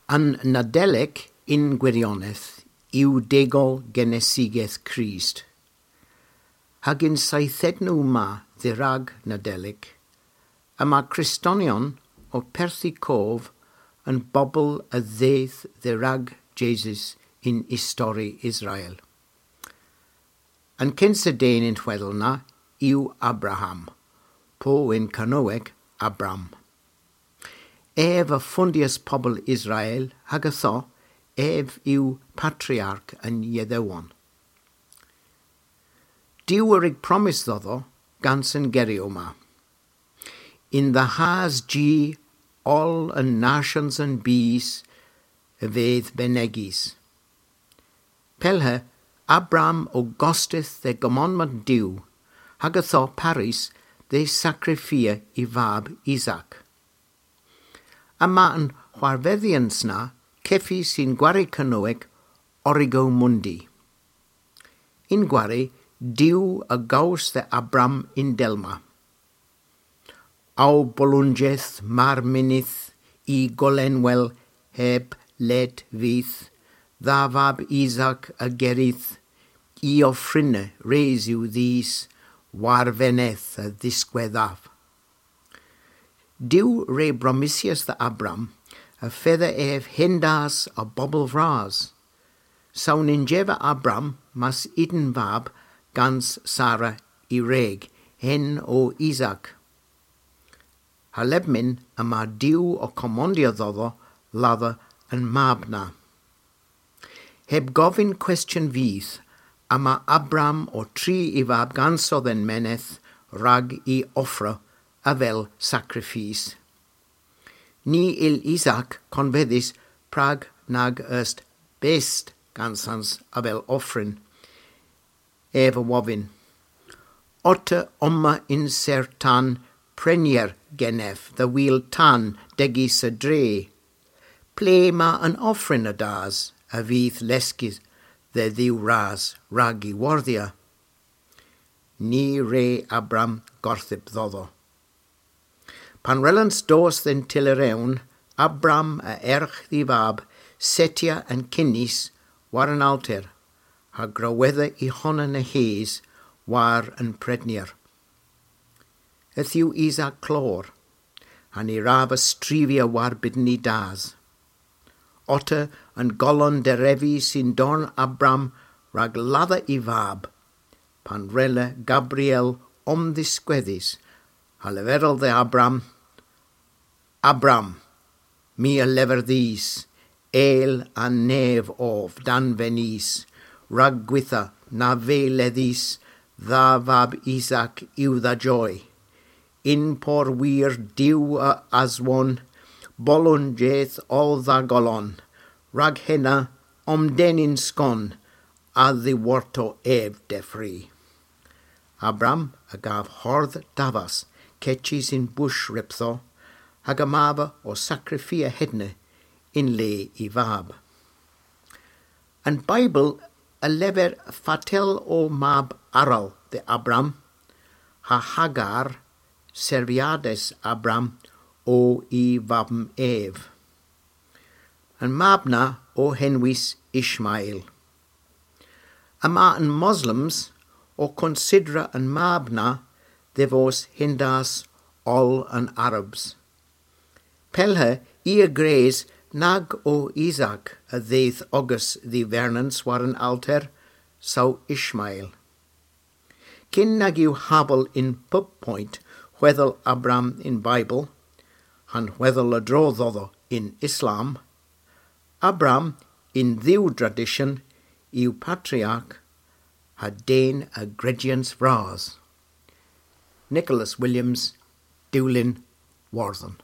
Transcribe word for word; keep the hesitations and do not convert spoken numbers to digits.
An Nadelik yn gwirionedh yw degol genesigeth Krist. Hag yn seythednow ma dherag Nadelik, yma Kristonion ow perthi kov an bobel a dheuth dherag Jesus yn istori Israel. An kynsa den y'n hwedhel na yw Abraham, po yn Kernewek Abram. Ev a fondyas pobel Israel hag ytho ev yw patriark an Yedhewon. Duw a wrug promys dhodho gans an geryow ma. Yn dha has ji oll an nasyans an bys a vydh benegys. Pellhe Abram o gostys dhe gommandment Duw, hag ytho parys dhe sakrifia y vab Isak. Yma an hwarvedhyans na kevys yn gwari Kernewek Origo Mundi. Yn gwari Duw a gows dhe Abram y'n del ma. Ow bolonjedh mar mynnydh y gollenwel heb led vydh, dha vab Isak a gerydh, y offryna res yw dhis, war veneth a dhiskwedhav. Duw re bromysyas dhe Abram, y fedha ev hendas a bobel vras. Saw nyns eva Abram mas unn vab gans Sara y wreg, henn o Isak. Ha lebmyn yma Duw ow komondya dhodho ladha an mab na. Heb govyn kwestyon vyth, yma Abram ow tri y vab ganso dhe'n menydh rag y offra avel sakrifis. Ny yll Isak konvedhes prag nag est best gansans avel offryn. Ev a wovyn: Otta omma yn sertan prenyer genev dhe wul tan degys a dre. Ple ma an offryn a das a vydh leskys dhe Dhuw ras rag y wordhya? Ny wre Abram gorthyp dhodho. Pan wrellans dos dhe'n tyller ewn, Abram a ergh dh'y vab settya an kynnys war an alter, ha growedha y honan a-hys war an prenyer. Yth yw Isak klor, ha ny wrav y strivya war bydn y das. Otta an golon derevys yn dorn Abram rag ladha y vab, pan wrella Gabriel omdhiskwedhes, ha leverel dhe Abram: Abram, my a lever dhis, el a nev ov danvenys, rag gwitha na veu ledhys dha vab Isak yw dha joy. Yn por wir Duw a aswon, bolonjedh o dha golon, rag henna omden yn skon, a dhiworto ev devri. Abram a gav hordh davas kechys yn bush ryptho, hag y mab ow sakrifia hedna yn le y vab. An Baybl a lever fatel o mab arall dhe Abram, ha Hagar servyades Abram o y vabm ev. An mab na o henwys Ishmael. Yma an Moslems ow konsidra an mab na dhe vos hendas oll an Arabs. Pellhe i a grys nag o Isak a dheuth ogas dh'y vernans war an alter, saw Ishmael. Kyn nag yw habel yn pub poynt hwedhel Abram y'n Baybl, ha'n hwedhel a-dro dhodho yn Islam, Abram yn dhiw dradisyon yw patriark ha den a grejyans vras. Nicholas Williams, Dulyn Wortham.